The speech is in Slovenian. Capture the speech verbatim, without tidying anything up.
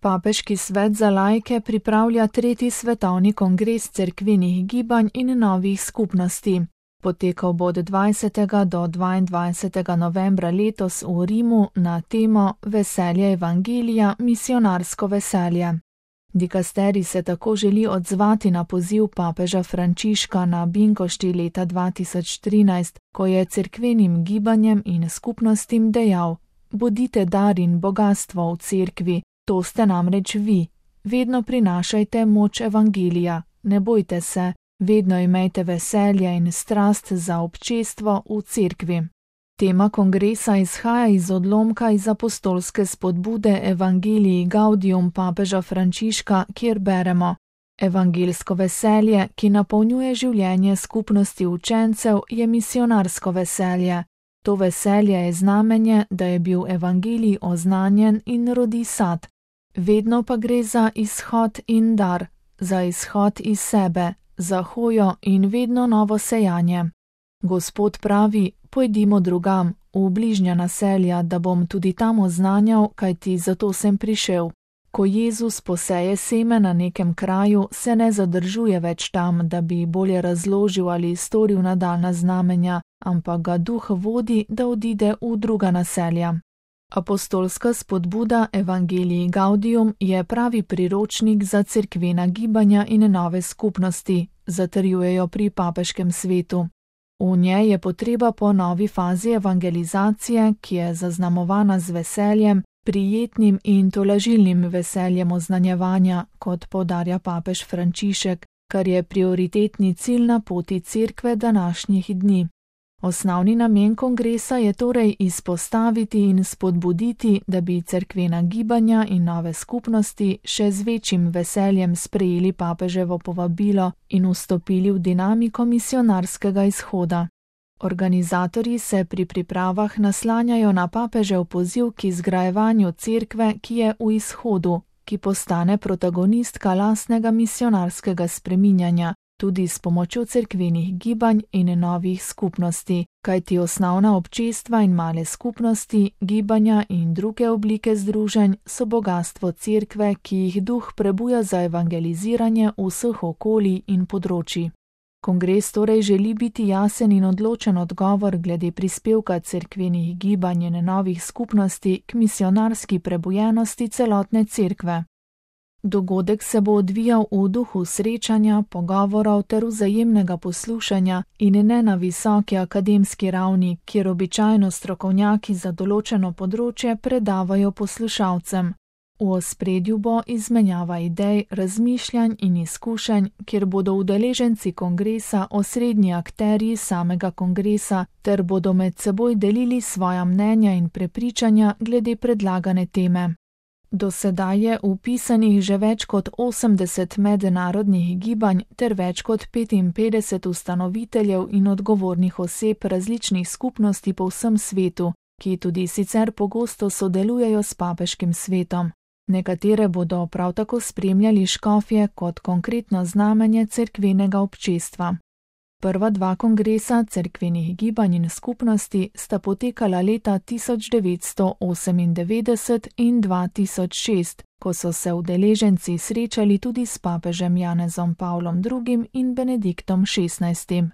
Papeški svet za laike pripravlja tretji svetovni kongres cerkvenih gibanj in novih skupnosti. Potekal bo od dvajsetega do dvaindvajsetega novembra letos v Rimu na temo Veselje evangelija, misionarsko veselje. Dikasterij se tako želi odzvati na poziv papeža Frančiška na Binkošti leta dva tisoč trinajst, ko je cerkvenim gibanjem in skupnostim dejal: bodite dar in bogastvo v cerkvi, to ste namreč vi. Vedno prinašajte moč evangelija, ne bojte se, vedno imejte veselje in strast za občestvo v cerkvi. Tema kongresa izhaja iz odlomka iz apostolske spodbude Evangelii Gaudium papeža Frančiška, kjer beremo: evangelsko veselje, ki napolnjuje življenje skupnosti učencev, je misionarsko veselje. To veselje je znamenje, da je bil evangelij oznanjen in rodi sad. Vedno pa gre za izhod in dar, za izhod iz sebe, za hojo in vedno novo sejanje. Gospod pravi: pojdimo drugam, v bližnja naselja, da bom tudi tam oznanjal, kajti zato sem prišel. Ko Jezus poseje seme na nekem kraju, se ne zadržuje več tam, da bi bolje razložil ali storil nadaljnja znamenja, ampak ga duh vodi, da odide v druga naselja. Apostolska spodbuda Evangelii Gaudium je pravi priročnik za cerkvena gibanja in nove skupnosti, zatrjujejo pri papeškem svetu. V njej je potreba po novi fazi evangelizacije, ki je zaznamovana z veseljem, prijetnim in tolažilnim veseljem oznanjevanja, kot poudarja papež Frančišek, kar je prioritetni cilj na poti cerkve današnjih dni. Osnovni namen kongresa je torej izpostaviti in spodbuditi, da bi cerkvena gibanja in nove skupnosti še z večjim veseljem sprejeli papeževo povabilo in vstopili v dinamiko misionarskega izhoda. Organizatorji se pri pripravah naslanjajo na papežev poziv k izgrajevanju cerkve, ki je v izhodu, ki postane protagonistka lastnega misionarskega spreminjanja, tudi s pomočjo cerkvenih gibanj in novih skupnosti, kajti osnovna občestva in male skupnosti, gibanja in druge oblike združenj so bogastvo cerkve, ki jih duh prebuja za evangeliziranje vseh okolij in področij. Kongres torej želi biti jasen in odločen odgovor glede prispevka cerkvenih gibanj in novih skupnosti k misionarski prebujenosti celotne cerkve. Dogodek se bo odvijal v duhu srečanja, pogovorov ter vzajemnega poslušanja in ne na visoki akademski ravni, kjer običajno strokovnjaki za določeno področje predavajo poslušalcem. V ospredju bo izmenjava idej, razmišljanj in izkušenj, kjer bodo udeleženci kongresa osrednji akterji samega kongresa ter bodo med seboj delili svoja mnenja in prepričanja glede predlagane teme. Do sedaj je vpisanih že več kot osemdeset mednarodnih gibanj ter več kot petinpetdeset ustanoviteljev in odgovornih oseb različnih skupnosti po vsem svetu, ki tudi sicer pogosto sodelujejo s papeškim svetom. Nekatere bodo prav tako spremljali škofje kot konkretno znamenje cerkvenega občestva. Prva dva kongresa cerkvenih gibanj in skupnosti sta potekala leta tisoč devetsto osemindevetdeset in dva tisoč šest, ko so se udeleženci srečali tudi s papežem Janezom Pavlom drugim in Benediktom šestnajstim.